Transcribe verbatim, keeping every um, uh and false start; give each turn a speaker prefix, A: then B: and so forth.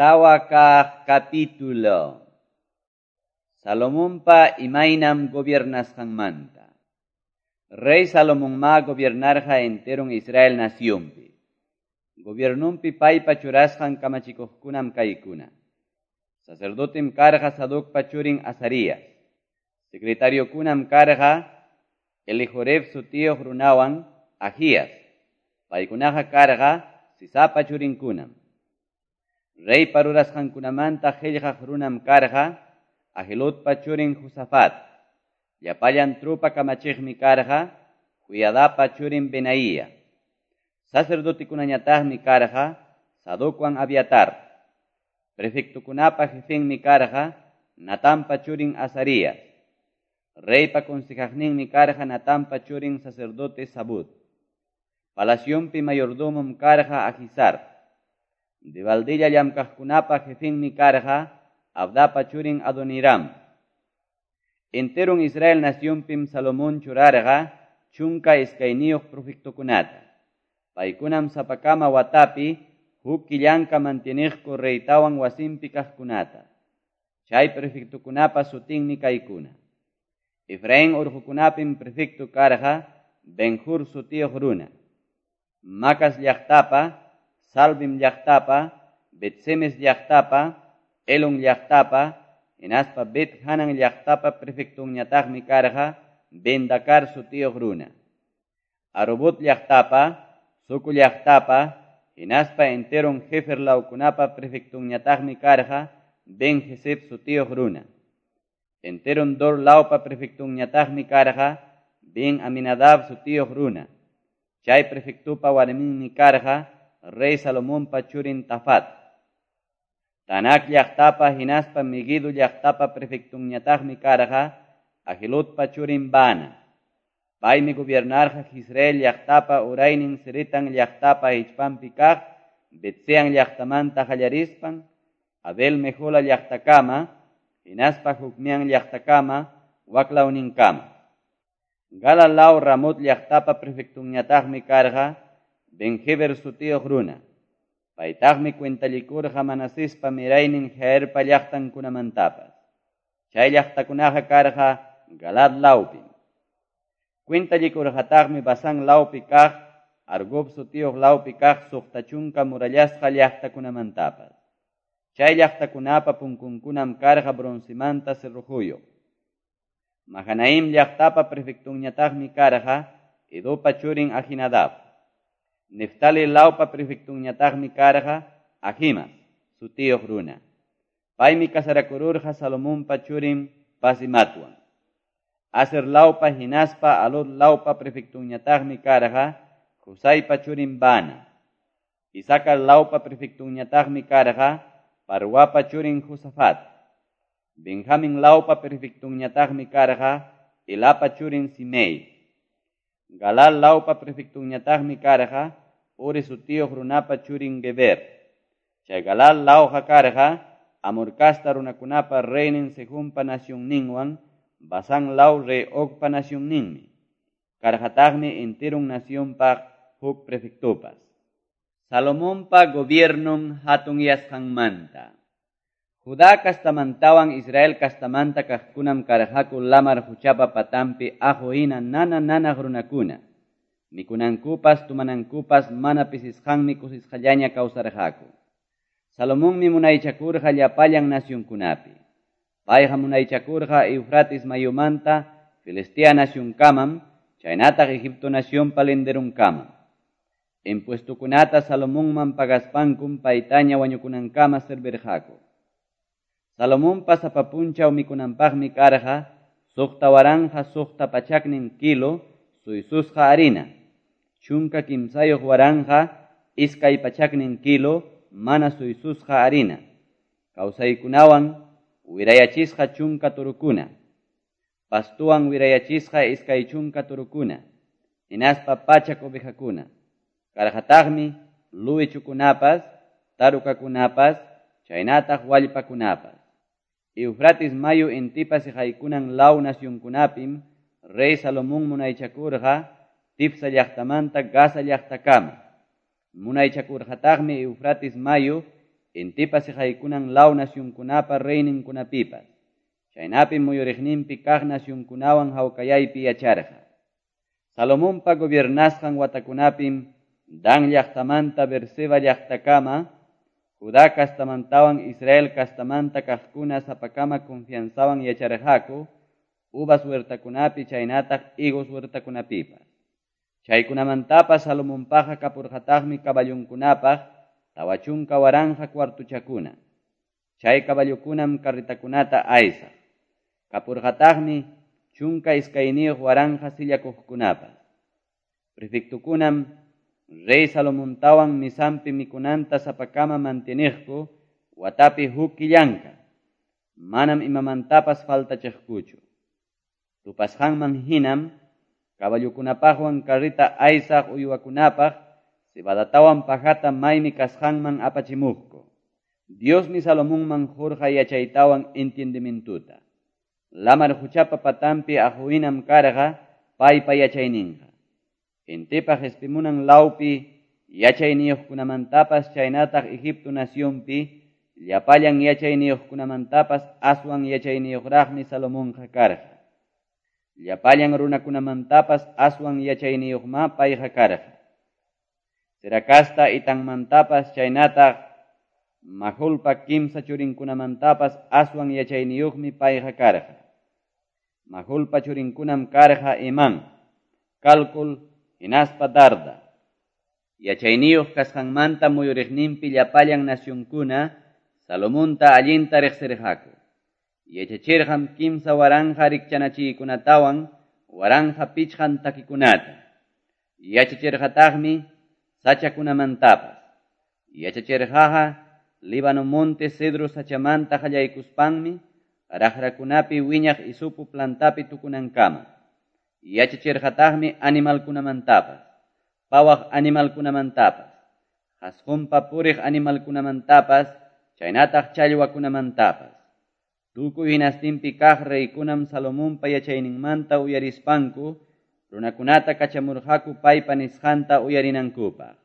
A: Tawa kaq capítulo. Salomonpa imaynam gobiernasqanmanta. Rey Salomonma gobiernarqa enteron Israel nacionpi. Gobiernunpi paypa churasqan kamachikuqkunam kaykuna. Sacerdotem karqa Sadocpa churin Azarías. Secretariokunam karqa Elijoref sutiyuq runawan Ajías. Paykunaqa karqa Sisapa churinkunam. Reypa rurasqankunamanta qillqaq runam karqa Ahiludpa churin Josafat. Llapallan trupa kamachiqmi karqa Joiadapa churin Benaía. Sacerdotikunañataqmi karqa Sadocwan Abiatar. Prefectukunapa jefenmi karqa Natanpa churin Azarías. Reypa consejaqninmi karqa Natanpa churin sacerdote Zabud. Palacionpi mayordomom karqa Ahisar. Debaldilla llamkaqkunapa jefenmi karqa Abdapa churin Adoniram. Enteron Israel nacionpim Salomón churarqa chunka iskayniyuq prefectukunata. Paykunam sapakama watapi huk killanka mantieniqku reytawan wasinpi kaqkunata. Chay prefectukunapa sutinmi kaykuna. Efraín urqukunapim prefecto karqa Benjur sutiyuq runa. Macas llaqtapa, Salbim llaqtapa, Bet-semes llaqtapa, Elon llaqtapa, hinaspa Bet Hanan llaqtapa prefectunñataqmi karqa Bendakar sutiyuq runa. Arubot llaqtapa, Soco llaqtapa, hinaspa enteron Hefer lawkunapa prefectunñataqmi karqa Ben Jeseb sutiyuq runa. Enteron Dor lawpa prefectunñataqmi karqa Ben Aminadab sutiyuq runa. Chay prefectupa warminmi karqa Rey Salomonpa churin Tafat. Taanac llaqtapa hinaspa Meguido llaqtapa prefectunñataqmi karqa Ahiludpa churin Baana. Paymi gobiernarqa Israel llaqtapa uraynin Seretan llaqtapa hichpanpi kaq Bet-sean llaqtamanta qallarispan Abel Mehola llaqtakama hinaspa Jocmeam llaqtakama waklawninkama. Galaad law Ramot llaqtapa prefectunñataqmi karqa Ben-Heber sutiyuq runa. Paytaqmi cuentallikurqa Manasespa miraynin Jairpa llaqtankunamantapas. Chay llaqtakunaqa karqa Galaad lawpim. Cuentallikurqataqmi Basán lawpi kaq, Argob sutiyuq lawpi kaq suqta chunka murallasqa llaqtakunamantapas. Chay llaqtakunapa punkunkunam karqa broncemanta cerrojuyuq. Mahanaim llaqtapa prefectunñataqmi karqa Edopa churin Ahinadab. Neftali lawpa prefectunñataqmi karqa Ahimas sutiyuq runa. Paymi casarakururqa Salomonpa churin Basimatwan. Aser lawpa hinaspa Alot lawpa prefectunñataqmi karqa Husaypa churin Baana. Isacar lawpa prefectunñataqmi karqa Parwapa churin Josafat. Benjamin lawpa prefectunñataqmi karqa Elapa churin Simei. Galal lawpa prefectunñataqmi karqa Uri sutiyuq runapa churin Geber. Chay Galal lawqa karqa Amor casta runakunapa reynin Sehonpa nacionninwan Basán law rey Ogpa nacionninmi. Karqataqmi enteron nacionpaq huk prefectupas. Salomonpa gobiernon hatunyasqanmanta. Judá kastamantawan Israel kastamanta kaqkunam karqaku lamar quchapa patanpi aqu hina nana nanaq runakuna. Mikunankupas tumanankupas mana pisisqanmi kusisqallaña kawsarqaku. Salomonmi munaychakurqa llapallan nacionkunapi. Payqa munaychakurqa Eufrates mayumanta Filistea nacionkamam, chaynataq Egipto nacionpa linderunkamam. Impuestokunata Salomonman pagaspankum paytaña wañukunankama servirqaku. Salomonpa sapa punchaw mikunanpaqmi karqa suqta waranqa suqta pachaknin kilo suysusqa harina, chunka kimsayuq waranqa iskay pachaknin kilo mana suysusqa harina, kawsaykunawan wirayachisqa chunka turukuna, pastuwan wirayachisqa iskay chunka turukuna, hinaspa pachak ovejakuna. Karqataqmi luwichukunapas, tarukakunapas, chaynataq wallpakunapas. Eufrates mayu intipa siqaykunan law nacionkunapim rey Salomón munaychakurqa Tifsa llaqtamanta Gaza llaqtakama. Munaychakurqataqmi Eufrates mayu intipa seqaykunan law nacionkunapa reyninkunapipas. Chaynapim muyuriqninpi kaq nacionkunawan hawkayaypi yacharqa. Salomonpa gobiernasqan watakunapim Dan llaqtamanta Beerseba llaqtakama, Judá castamantawan Israel castamanta kaqkuna sapakama confianzawan yacharqaku, uvas huertakunapi chaynataq higos huertakunapipas. Chaykunamantapas Salomonpaqa kapurqataqmi caballonkunapaq tawa chunka waranqa cuartuchakuna. Chay caballokunam carretakunata aysaq. Kapurqataqmi chunka iskayniyuq waranqa sillakuqkunapas. Prefectukunam rey Salomontawan misampi mikunanta sapakama manteniqku watapi huk killanka. Manam imamantapas faltachiqkuchu. Tupasqanman hinam caballokunapaqwan carreta aysaq uywakunapaq cebadatawan pajata maymi kasqanman apachimuqku. Diosmi Salomonman qurqa yachaytawan entendimientuta. Lamar huchapa patampi aquhinam karqa paypa yachayninqa. Intipa qespimunan lawpi yachayniyuqkunamantapas chaynataq Egipto nacionpi llapallan yachayniyuqkunamantapas aswan yachayniyuqraqmi Salomonqa karqa. Llapallan runakunamantapas aswan yachayniyuqma payqa karqa. Serakasta itanmantapas chaynataq Majulpa kimsa churinkunamantapas aswan yachayniyuqmi payqa karqa. Majulpa churinkunam karqa Imán, Calcul, hinaspa Darda. Yachayniyuq kasqanmanta muyuriqninpi llapallan nacionkuna Salomonta allinta riqsirqaku. Yachachirqam kimsa waranqa rikchanachiykunatawan waranqa pichqan takikunata. Yachachirqataqmi sachakunamantapas. Yachachirqaqa Líbano monte cedro sachamanta qallaykuspanmi raqrakunapi wiñaq isupu plantapi tukunankama. Yachachirqataqmi animalkunamantapas, pawaq animalkunamantapas, qasqunpa puriq animalkunamantapas, chaynataq challwakunamantapas. Tukuy hinastinpi kaq reykunam Salomonpa yachayninmanta uyarispanku, runakunata kachamurqaku paypa nisqanta uyarinankupaq.